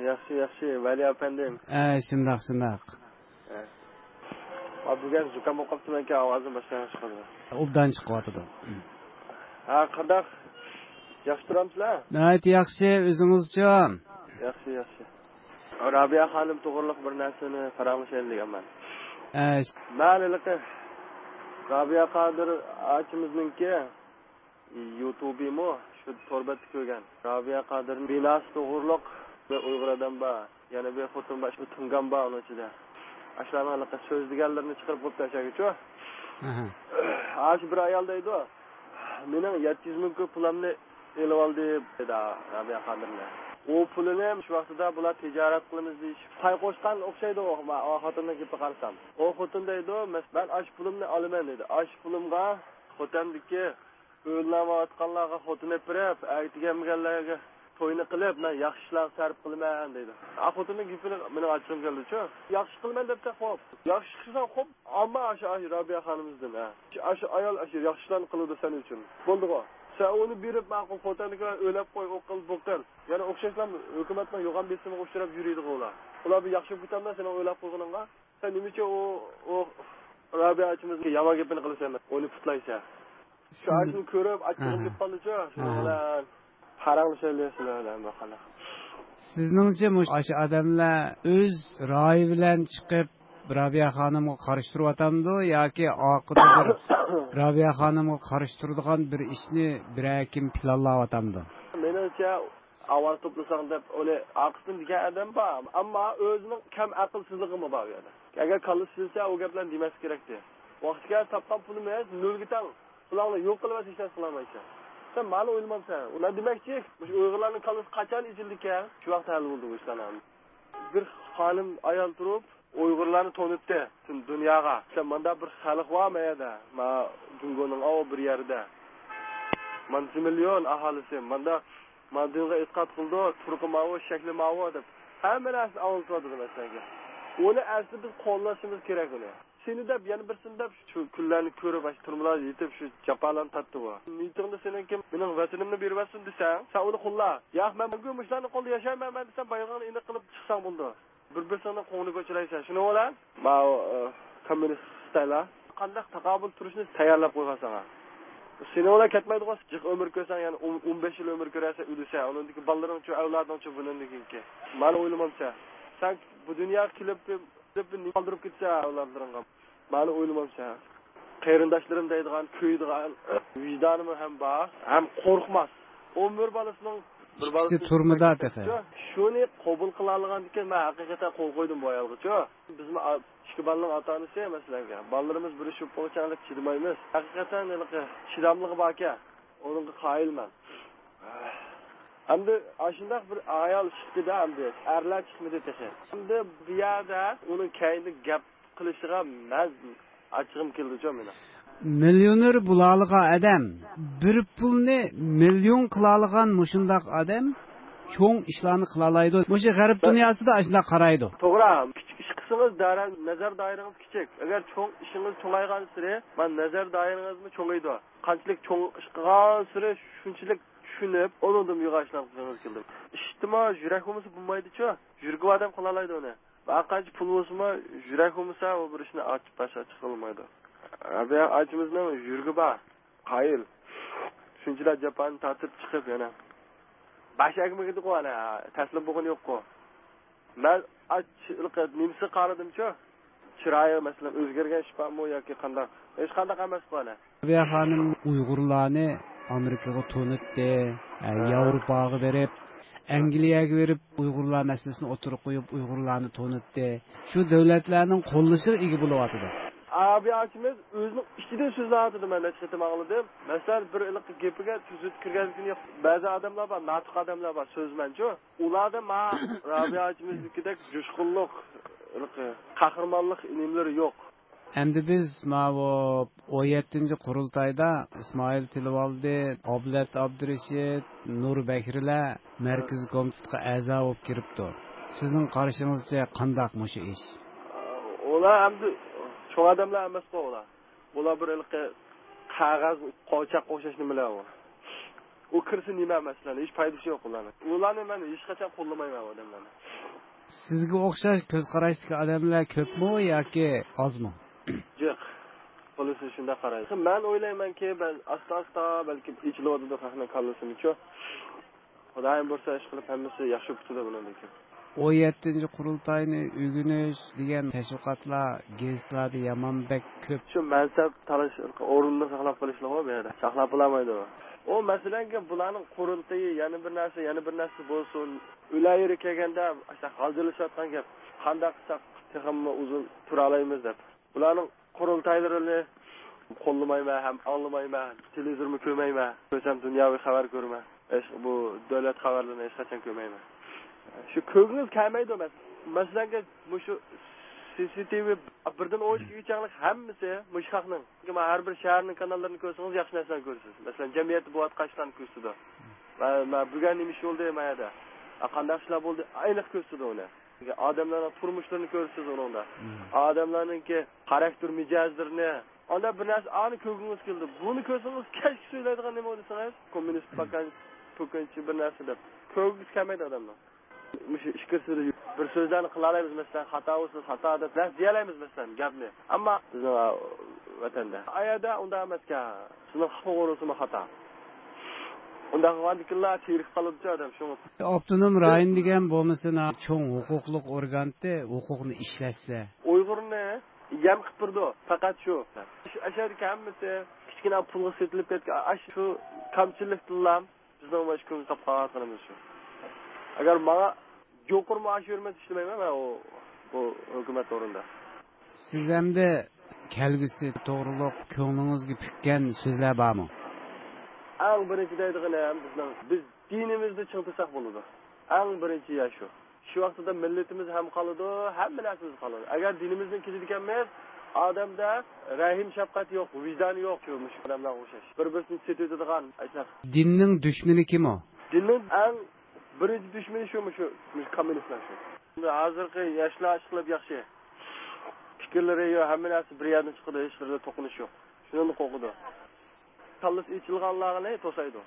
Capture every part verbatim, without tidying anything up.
ياخشى، ياخشى، ۋەلى ئەپەندىم. ئە، شۇنداق، شۇنداق. ئە. ئا، بۈگۈن زۇكام بولۇپ قاپتىمەنكەن، ئاۋازىم باشقا ياخشى چىقىدۇ. ئوبدان چىقىۋاتىدۇ. ھە، قانداق؟ ياخشى تۇرامسىلەر؟ ناھايىتى ياخشى، ئۆزىڭىزچۇ؟ ياخشى، ياخشى. رابىيە خانىم توغرىلىق بىر نەرسىنى پاراڭلىشايلى دېگەنمەن. ئە، مەن ھېلىقى رابىيە قادىر ئاچىمىزنىڭكى يۇتۇبىمۇ شۇ تور بەتتە كۆرگەن. رابىيە قادىر بىناسى توغرۇلۇق بىر ئۇيغۇر ئادەم بار، يەنە بىر خوتۇن بار، شۇ تۇڭگان بار ئۇنىڭ ئىچىدە. ئاشۇلارنىڭ ھېلىقى سۆزلىگەنلىرىنى چىقىرىپ بوپتۇ ئەشەگىچۇ. ئاشۇ بىر ئايال دەيدۇ، مېنىڭ يەتتە يۈز مىڭ كوي پۇلامنى ئېلىۋالدى دېدى رابىيە قادىرنى. ئۇ پۇلىنى شۇ ۋاقتىدا بۇلار تىجارەت قىلىمىز دېيىشىپ پاي قوشقان ئوخشايدۇ ئۇ، ئۇ خوتۇننىڭ گېپىگە قارىسام. ئۇ خوتۇن دەيدۇ، مەس-، مەن ئاشۇ پۇلۇمنى ئالىمەن دېدى. ئاشۇ پۇلۇمغا خوتەندىكى ئۆيلەنمەيۋاتقانلارغا خوتۇن ئېلىپ بېرىپ، ئەتىگەنمىگەنلەرگە توينى قىلىپ، مەن ياخشى ئىشلارغا سەرپ قىلىمەن دەيدۇ. ئا خوتۇننىڭ گېپىنى مېنىڭ ئاچچىقىم كەلدىچۇ. ياخشى قىلىمەن دەپسەن خوپ. ياخشى قىلساڭ خوپ، ئەمما ئاشۇ، ئاشۇ رابىيە خانىمىزدىن، ھە. ئاشۇ ئايال ئاشۇ ياخشى ئىشلارنى قىلىدۇ سەن ئۈچۈن. بولدىغۇ. سەن ئۇنى بېرىپ ماقۇل خوتەندىكىلەرنى ئۆيلەپ قوي، ئۇ قىل، بۇ قىل. يەنە ئوخشاشلا ھۆكۈمەتنىڭ يوغان بېسىمىغا ئۇچراپ يۈرىدىغۇ ئۇلار. ئۇلار بىر ياخشى بولۇپ كېتەلمەس سېنىڭ ئۆيلەپ قويغىنىڭغا. سەن نېمە ئۈچۈن ئۇ، ئۇ رابىيە ئاچىمىزنىڭ يامان گېپىنى قىلىسەن، ئۇنى پۇتلايسەن؟ شۇ سىز ئاشۇنى كۆرۈپ، ئاچچىقىم ئاھا. كېلىپ قالدىچۇ، شۇنىڭ ئاھا. بىلەن پاراڭلىشايلى سىلەر بىلەن بىر قانداق. سىزنىڭچە مۇشۇ ئاشۇ ئادەملەر ئۆز رايى بىلەن چىقىپ، رابىيە خانىمغا قارشى تۇرۇۋاتامدۇ ياكى ئارقىدا بىر رابىيە خانىمغا قارشى تۇرىدىغان بىر ئىشنى بىرەر كىم پىلانلاۋاتامدۇ؟ مېنىڭچە، ئاۋاز توپلىساڭ دەپ ئۇنى ئارقىسىدىن دېگەن ئادەم بار. ئەمما ئۆزىنىڭ كەم ئەقىلسىزلىقىمۇ بار ئۇ يەردە. ئەگەر كاللىسى سىزسە، ئۇ گەپلەرنى دېمەسلىك كېرەكتى. ۋاقتى كەلسە تاپقان پۇلىمىز نۆلگە تەڭ. پۇلاڭنى يوق قىلىۋەتسە ھېچ نەرسە قىلالمايسەن. سەن مانا ئويلىمامسەن؟ مەن دېمەكچى، مۇشۇ ئۇيغۇرلارنىڭ كاللىسى قاچان ئېچىلدىكەن، شۇ ۋاقىتتا ھەل بولىدۇ بۇ ئىشلار. بىر خانىم ئايال تۇرۇپ، ئۇيغۇرلارنى تونۇتتى پۈتۈن دۇنياغا. سەن ماندا بىر خەلق بار ما يەردە، ما جۇڭگونىڭ ئاۋۇ بىر يەردە. مانچە مىليون ئاھالىسى، ماندا، ما دىنغا ئېتىقاد قىلىدۇ، تۇرقى ماۋۇ، شەكلى ماۋۇ دەپ. ھەممە نەرسىنى ئاڭلىتىۋاتىدۇ مەسىلەنگە. ئۇنى ئەسلى بىز قوللىشىمىز كېرەك ئۇنى. سېنى دەپ، يەنە بىرسىنى دەپ، شۇ كۈنلەرنى كۆرۈپ، ئاشۇ تۈرمىلەردە يېتىپ، شۇ جاپالارنى تارتتى بۇ. نىيىتىڭدە سېنىڭكى مېنىڭ ۋەتىنىمنى بېرىۋەتسۇن دېسەڭ، سەن ئۇنى قوللا. ياق، مەن بۈگۈن مۇشۇلارنىڭ قولىدا ياشايمەن، مەن دېسەم، بايىقىڭنى ئېنىق قىلىپ چىقساڭ بولىدۇ. بىر-بىرسىڭنىڭ قوڭىنى كۆچۈرەيسەن. شۇنىڭ بىلەن، ماۋۇ، ئە، كوممۇنىست خىتايلار قانداق تاقابىل تۇرۇشنى تەييارلاپ قويغان ساڭا. سېنىڭ بىلەن كەتمەيدىغۇ، جىق ئۆمۈر كۆرسەڭ، يەنە ئون، ئون بەش يىل ئۆمۈر كۆرەرسەن، ئۆلىسەن. ئۇنىڭدىكى بالىلىرىڭچۇ، ئەۋلادىڭچۇ بۇنىڭدىن كېيىنكى. مانا ئويلىمامسەن. سەن بۇ دۇنياغا كېلىپ، كېلىپ نېمە قالدۇرۇپ كېتىسەن ئەۋلادلىرىڭغا. مانا ئويلىمامسەن. قېرىنداشلىرىم دەيدىغان، كۆيىدىغان ۋىجدانىمۇ ھەم بار، ھەم قورقماس. ئون بىر بالىسىنىڭ بىر ئىككىسى بالىسى تۈرمىدە تېخى. شۇنى قوبۇل قىلالىغاندىكىن، مەن ھەقىقەتەن قول قويدۇم بۇ ئايالغىچۇ. بىزمۇ ئا-، ئىككى بالىنىڭ ئاتا-ئانىسى مەسىلەنگە. بالىلىرىمىز بىر ئىش بولۇپ قالغۇچە چىدىمايمىز. ھەقىقەتەن ھېلىقى چىداملىقى باركەن، ئۇنىڭغا قايىلمەن. ئەمدى ئاشۇنداق بىر ئايال چىقتى-دە ئەمدى. ئەرلەر چىقمىدى تېخى. ئەمدى بۇ يەردە ئۇنىڭ كەينىدە گەپ قىلىشىغا مەن ئاچچىقىم كېلىدىچۇ مېنىڭ. مىليونېر بولالىغان ئادەم، بىر پۇلنى مىليون قىلالىغان مۇشۇنداق ئادەم چوڭ ئىشلارنى قىلالايدۇ. مۇشۇ غەرب دۇنياسىدا ئاشۇنداق قارايدۇ. توغرا، كىچىك ئىش قىلسىڭىز دائىرە، نەزەر دائىرىڭىز كىچىك. ئەگەر چوڭ ئىشىڭىز چوڭايغانسېرى، مانا نەزەر دائىرىڭىزمۇ چوڭىيىدۇ. قانچىلىك چوڭ ئىش قىلغانسېرى شۇنچىلىك چۈشىنىپ، ئۇنىڭدىن يوغان ئىشلارنى قىلغىڭىز كېلىدۇ. ئىشتىمۇ يۈرەك بولمىسا بولمايدۇچۇ. يۈرىكى بار ئادەم قىلالايدۇ ئۇنى. ھەر قانچە پۇل بولسىمۇ، يۈرەك بولمىسا، ئۇ بىر ئىشنى ئاچ-، باش ئاچقىلى بولمايدۇ. رابىيە ئاچىمىزنىڭ يۈرىكى بار، قايىل. شۇنچىلىك جاپانى تارتىپ چىقىپ يەنە باش ئەگمىگىدىغۇ ئەنە، تەسلىم بولغىنى يوققۇ. مەن ئاچ-، نېمىسىگە قارىدىمچۇ؟ چىرايى، مەسىلەن، ئۆزگەرگەن ئىش بارمۇ ياكى قانداق؟ ھېچقانداق ئەمەسقۇ ئەنە. رابىيە خانىم ئۇيغۇرلارنى ئامېرىكىغا تونۇتتى، ئە، ھە. ياۋروپاغا بېرىپ، ئەنگلىيەگە بېرىپ، ئۇيغۇرلار مەسىلىسىنى ئوتتۇرىغا قويۇپ، ئۇيغۇرلارنى تونۇتتى. شۇ دۆلەتلەرنىڭ قوللىشىغا ئىگە بولۇۋاتىدۇ. رابىيە ئاچىمىز ئۆزىنىڭ ئىچىدىن سۆزلەۋاتىدۇ، مەن نەچچە قېتىم ئاڭلىدىم. مەسىلەن، بىر ھېلىقى گېپىگە تۈزۈت كىرگەن كۈنى بەزى ئادەملەر بار، ناتىق ئادەملەر بار، سۆزمەنچۇ. ئۇلاردا ما رابىيە ئاچىمىزنىڭكىدەك جۇشقۇنلۇق، ھېلىقى قەھرىمانلىق نېمىلىرى يوق. ئەمدى بىز ماۋۇ ئون يەتتىنچى قۇرۇلتايدا ئىسمائىل تىلىۋالدى، ئابلەت ئابدۇرېشىت، نۇر بەكرىلەر مەركىزىي كومىتېتقا ئەزا بولۇپ كىرىپتۇ. سىزنىڭ قارىشىڭىزچە قانداق مۇشۇ ئىش؟ ئۇلار ئەمدى چوڭ ئادەملەر ئەمەسقۇ ئۇلار. ئۇلار بىر ھېلىقى قەغەز، قوچاق ئوخشاش نېمىلەر ئۇ. ئۇ كىرسە نېمە مەسىلەن، ھېچ پايدىسى يوق ئۇلارنىڭ. ئۇلارنى مەن ھېچقاچان قوللىمايمەن ئۇ ئادەملەرنى. سىزگە ئوخشاش كۆز قاراشتىكى ئادەملەر كۆپمۇ ياكى ئازمۇ؟ جىق. خۇلاسە شۇنداق قارايدۇ. مەن ئويلايمەنكى، بەل-، ئاستا-ئاستا بەلكىم ئېچىلىۋاتىدۇ خەقنىڭ كاللىسىمۇچۇ. خۇدايىم بۇيرۇسا، ئىشقىلىپ ھەممىسى ياخشى پۈتىدۇ بۇنىڭدىن كېيىن. ئون يەتتىنچى قۇرۇلتاينى ئۆگىنىش دېگەن تەشۋىقاتلار گېزىتلاردا يامان بەك كۆپ. شۇ مەنسەپ تالىشىش، ئورۇننى ساقلاپ قېلىشلىقى بۇ يەردە. ساقلاپ بولالمايدۇ. ئۇ مەسىلەنكى، بۇلارنىڭ قۇرۇلتىيى، يەنە بىر نەرسە، يەنە بىر نەرسە بولسۇن. ئۆلەر يېرى كەلگەندە، ئاشۇنداق غالجىرلىشىۋاتقان گەپ. قانداق قىلساق تېخىمۇ ئۇزۇن تۇرالايمىز دەپ. بۇلارنىڭ قۇرۇلتايلىرىنى قوللىمايمەن ھەم ئاڭلىمايمەن، تېلېۋىزورمۇ كۆرمەيمەن. كۆرسەم دۇنياۋى خەۋەر كۆرىمەن. ھېچ بۇ دۆلەت خەۋەرلىرىنى ھېچقاچان كۆرمەيمەن. شۇ كۆرگۈڭىز كەلمەيدۇ مەس-، مەسىلەنكى، مۇشۇ سى سى تى ۋى بىردىن ئون ئىككىگىچە ھەممىسى مۇشۇ خەقنىڭ. چۈنكى مانا ھەر بىر شەھەرنىڭ كاناللىرىنى كۆرسىڭىز ياخشى نەرسىلەرنى كۆرىسىز. مەسىلەن، جەمئىيەتتە بولۇۋاتقان ئىشلارنى كۆرسىتىدۇ. مانا، مانا بۈگۈن نېمە ئىش بولدى مانا يەردە؟ قانداق ئىشلار بولدى؟ ئېنىق كۆرسىتىدۇ ئۇنى. ئادەملەرنىڭ تۇرمۇشلىرىنى كۆرىسىز ئۇنىڭدا. مم. ئادەملەرنىڭكى خاراكتېر مىجەزلىرىنى. ئانداق بىر نەرسە، ئانى كۆرگۈڭىز كېلىدۇ. بۇنى كۆرسىڭىز، كەچكە سۆزلەيدىغان نېمە دېسىڭىز، كوممۇنىست، مم، پاكان، پوكانچى بىر نەرسە دەپ. كۆرگۈسى كەلمەيدۇ ئادەمنىڭ. مۇشۇ ئىچكىرىسىدە بىر سۆزلەرنى قىلالايمىز، مەسىلەن، خاتا بولسا خاتا دەپ نەرسە دېيەلەيمىز، مەسىلەن، گەپنى. ئەمما بىزنىڭ، ئا، ۋەتەندە. ئايەردە ئۇنداق ئەمەسكەن. سىزنىڭ توغرىسىمۇ خاتا. ئۇنداق قىلغاندىكىنلا تىرىك قالىدۇ ئادەم، شۇڭا. ئاپتونوم رايون دېگەن بولمىسا، چوڭ ھوقۇقلۇق ئورگانتى ھوقۇقنى ئىشلەتسە. ئۇيغۇرنى يەم قىلىپ تۇرىدۇ، پەقەت شۇ. شۇ ئەشەدىكى ھەممىسى كىچىككىنە پۇلغا سېتىلىپ كەتكەن، ئاشۇ كەمچىلىكتىنلا بىزنىڭ مۇشۇ كۈنگە قاپ قالغانلىقىمىز شۇ. ئەگەر ماڭا يۇقىرى مائاش بېرمىسە ئىشلىمەيمەن مەن ئۇ، بۇ ھۆكۈمەت ئورنىدا. سىز ئەمدى كەلگۈسى توغرۇلۇق كۆڭلىڭىزگە پۈككەن سۆزلەر بارمۇ؟ ئەڭ بىرىنچى دەيدىغىنىم بىزنىڭ، بىز دىنىمىزنى چىڭ تۇتساق بولىدۇ. ئەڭ بىرىنچى يا شۇ. شۇ ۋاقتىدا مىللىتىمىز ھەم قالىدۇ، ھەممە نەرسىمىز قالىدۇ. ئەگەر دىنىمىزدىن كېچىدىكەنمىز، ئادەمدە رەھىم، شەپقەت يوق، ۋىجدان يوق، شۇ مۇشۇ ئادەملەرگە ئوخشاش. بىر-بىرسىنى سېتىۋېتىدىغان، ئاشۇنداق. دىننىڭ دۈشمىنى كىم ئۇ؟ دىننىڭ ئەڭ بىرىنچى دۈشمىنى شۇ، مۇشۇ، مۇشۇ كوممۇنىستلار شۇ. ھازىرقى ياشلار ئىشقىلىپ ياخشى. پىكىرلىرى يوق، ھەممە نەرسە بىر يەردىن چىقىدۇ، ھېچقانداق توقۇنۇش يوق. شۇنىڭدىن قورقىدۇ. كاللىسى ئېچىلغانلارنى توسايدۇ.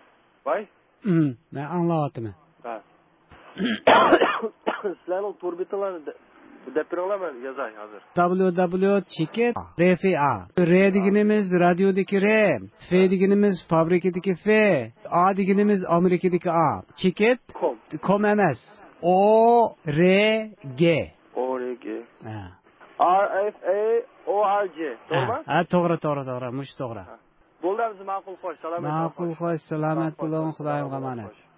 ۋاي. ئىم، مەن ئاڭلاۋاتىمەن. ھە. سىلەرنىڭ تور بېتىڭلارنى دە-، دەپ بېرىڭلار، مەن يازاي ھازىر. دبليۇ دبليۇ چېكىت رې فې ئا. رې دېگىنىمىز رادىيودىكى رې، فې دېگىنىمىز فابرىكىدىكى فې، ئا دېگىنىمىز ئامېرىكىدىكى ئا. چېكىت. كوم. كوم ئەمەس. ئو رې گې. ئو رې گې. ھە. ئار ئېف ئې ئو ئار جې. توغرىمۇ؟ ھە، ھە، توغرا، توغرا، توغرا. مۇشۇ توغرا. ھە. بولدى، ھەممىسى ماقۇل، خوش، سالامەت بولۇڭ، ماقۇل، خوش. خوش، سالامەت بولۇڭ، خوش، خۇدايىمغا ئامانەت. خوش.